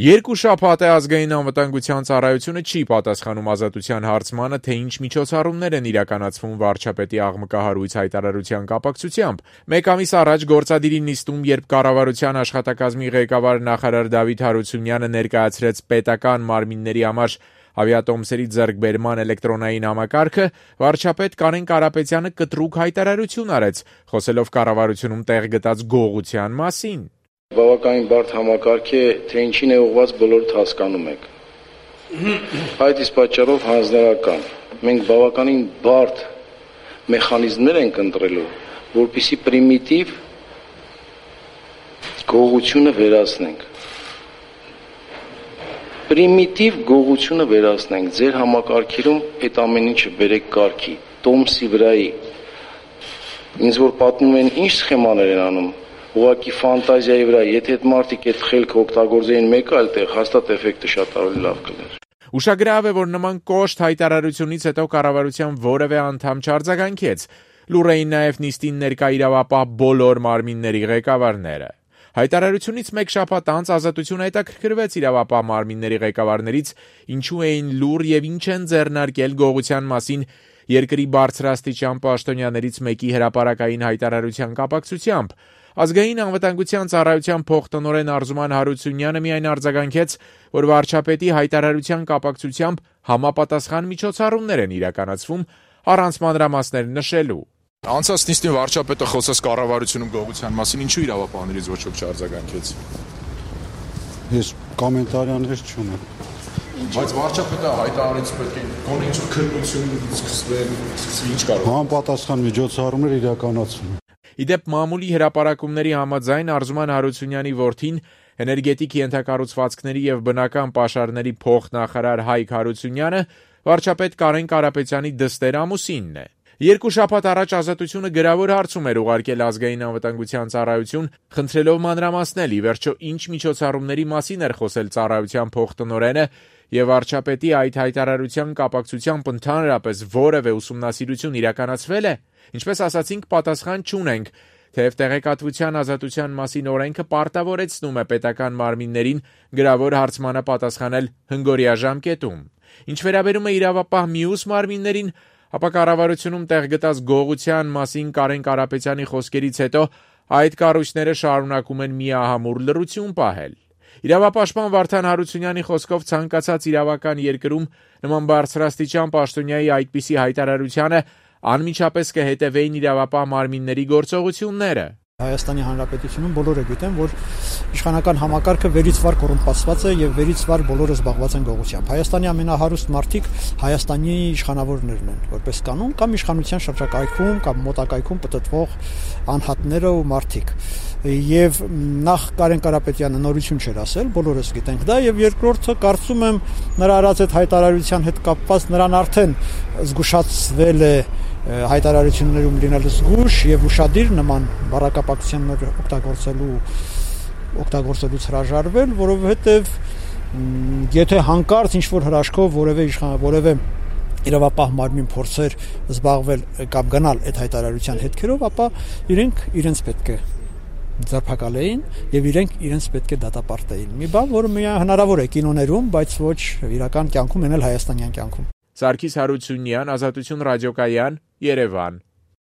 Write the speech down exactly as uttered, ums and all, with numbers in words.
Երկու շաբաթ է ազգային անվտանգության ծառայությունը չի պատասխանում Ազատության հարցմանը, թե ինչ միջոցառումներ են իրականացվում վարչապետի աղմկահարույց հայտարարության կապակցությամբ։ Մեկ ամիս առաջ գործադիրի նիստում, երբ կառավարության աշխատակազմի ղեկավար նախարար Դավիթ Հարությունյանը ներկայացրեց պետական մարմինների համար ավիատոմսերի ձեռքբերման էլեկտրոնային համակարգը, վարչապետ Կարեն Կարապետյանը կտրուկ հայտարարություն արեց, խոսելով կառավարությունում տեղ գտած գողության մասին։ Բավականին բարդ համակարգ է, թե ինչին է ուղղված բոլորդ հասկանում եք։ Այդ իսկ պատճառով հանձնարարական։ Մենք բավականին բարդ մեխանիզմներ ենք ընտրելու, որպեսզի պրիմիտիվ գողությունը վերացնենք։ Պրիմիտիվ գողությունը վերացնենք։ Ձեր համակարգերում այդ ամեն ինչը բերեք կարգի, տոմսի վրայի։ Ինձ որ պատմում են ինչ սխեմաներ են անում, ուղղակի ֆանտազիայի վրա, եթե այդ մարդիկ այդ խելքը օգտագործեին մեկ այլ տեղ, հաստատ էֆեկտը շատ ավելի լավ կլիներ։ Ուշագրավ է, որ նման կոշտ հայտարարությունից հետո կառավարության որևէ անդամ չարձագանքեց։ Լուռ էին նաև նիստին ներկա իրավապահ բոլոր մարմինների ղեկավարները։ Հայտարարությունից մեկ շաբաթ անց Ազատությունը հետաքրքրվեց իրավապահ մարմինների ղեկավարներից, ինչու էին լուռ եւ ինչ են ձեռնարկել գողության մասին երկրի բարձրաստիճան պաշտոնյաներից մեկի հրապարակային հայտարարության կապակցությամբ։ Ազգային անվտանգության ծառայության փոխտնօրեն Արզուման Հարությունյանը միայն արձագանքեց, որ վարչապետի հայտարարության կապակցությամբ համապատասխան միջոցառումներ են իրականացվում, առանց մանրամասներ նշելու։ Անցած նիստին վարչապետը խոսեց կառավարությունում գողության մասին, ինչու իրավապահներից ոչ ոք չարձագանքեց։ Ես կոմենտարիաներ չունեմ։ Բայց վարչապետը հայտարարեց պետք է գոնե ինչ-որ քննություն սկսվեն, ինչ կարող։ Համապատասխան միջոցառումներ իրականացվում։ Իդեպ մամուլի հրապարակումների համաձայն Արզուման Հարությունյանի որդին էներգետիկ ենթակառուցվածքների եւ բնական պաշարների փոխնախարար Հայկ Հարությունյանը վարչապետ Կարեն Կարապետյանի դստեր ամուսինն է։ Երկու շաբաթ առաջ Ազատությունը գրավոր հարցում էր ուղարկել ազգային անվտանգության ծառայություն, խնդրելով մանրամասնել, ի վերջո ինչ միջոցառումների մասին էր խոսել ծառայության փոխտնօրենը եւ վարչապետի այդ հայտարարության կապակցությամբ ընդհանրապես որևէ ուսումնասիրություն իրականացվել է։ Ինչպես ասացինք, պատասխան չունենք, թեև տեղեկատվության ազատության մասին օրենքը պարտավորեցնում է պետական մարմիններին գրավոր հարցմանը պատասխանել հնգօրյա ժամկետում։ Ինչ վերաբերում է իրավապահ մյուս մարմիններին, ապա կառավարությունում տեղ գտած գողության մասին Կարեն Կարապետյանի խոսքերից հետո այդ կառույցները շարունակում են միահամուռ լռություն պահել։ Իրավապաշտպան Վարդան Հարությունյանի խոսքով ցանկացած իրավական երկրում նման բարձրաստիճան պաշտոնյայի այդպիսի հայտարարությանը անմիջապես կհետևեին իրավապահ մարմինների գործողությունները։ Հայաստանի Հանրապետությունում բոլորը գիտեն, որ իշխանական համակարգը վերից վար կոռումպացված է եւ վերից վար բոլորը զբաղված են գողությամբ։ Հայաստանի ամենահարուստ մարդիկ Հայաստանի իշխանավորներն են, որպես կանոն, կամ իշխանության շրջակայքում կամ մոտակայքում պտտվող անհատները ու մարդիկ։ Եվ նախ Կարեն Կարապետյանը նորություն չէր ասել, բոլորս գիտենք դա, եւ երկրորդը կարծում եմ նրա արած այդ հայտարարության հետ կապված նրան արդեն զգուշացվել է հայտարարություններում լինել զգուշ եւ ուշադիր նման բառակապակցություններ օգտագործելու օգտագործելուց հրաժարվել, որովհետեւ եթե հանկարծ ինչ-որ հրաշքով որևէ որևէ իրավապահ մարմին փորձեր զբաղվել կամ գնալ այդ հայտարարության հետքերով, ապա իրենք իրենց պետք է ձերբակալեին եւ իրենք իրենց պետք է դատապարտեին։ Մի բան, որը միայն հնարավոր է կինոներում, բայց ոչ իրական կյանքում, ենել հայաստանյան կյանքում։ Սարգիս Հարությունյան, Ազատություն ռադիոկայան, Երևան։